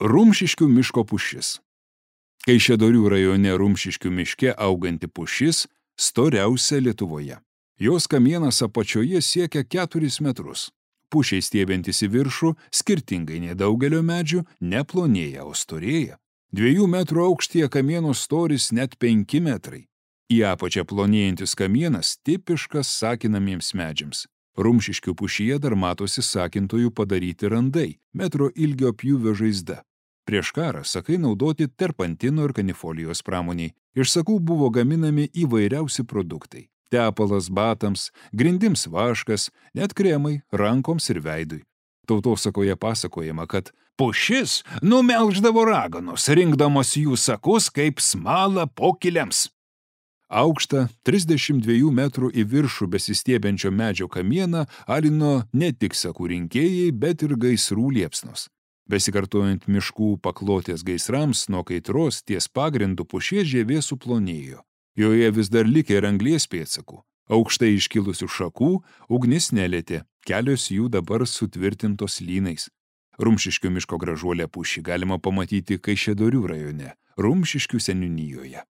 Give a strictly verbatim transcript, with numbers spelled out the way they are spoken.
Rumšiškių miško pušis. Kaišiadorių rajone Rumšiškių miške auganti pušis storiausia Lietuvoje. Jos kamienas apačioje siekia keturis metrus. Pušiai stiebiantis į viršų, skirtingai nei daugelio medžių, neplonėja, o storėja. Dviejų metrų aukštyje kamieno storis net penki metrai. Į apačią plonėjantis kamienas tipiškas sakinamiems medžiams. Rumšiškių pušyje dar matosi sakintojų padaryti randai, metro ilgio pjūvio žaizda. Prieš karą sakai naudoti terpantino ir kanifolijos pramoniai. Iš sakų buvo gaminami įvairiausi produktai. Tepalas batams, grindims vaškas, net kremai rankoms ir veidui. Tautosakoje pasakojama, kad pušis numelždavo raganos, rinkdamos jų sakus kaip smalą pokiliams. Aukštą trisdešimt dviejų metrų į viršų besistiebiančio medžio kamieną alino ne tik sakų rinkėjai, bet ir gaisrų liepsnos. Besikartojant miškų paklotės gaisrams nuo kaitros ties pagrindu pušies žievė suplonėjo. Joje vis dar likė ir anglies pėdsakų. Aukštai iškilusių šakų ugnis nelietė, kelios jų dabar sutvirtintos lynais. Rumšiškių miško gražuolę pušį galima pamatyti Kaišiadorių rajone, Rumšiškių seniūnijoje.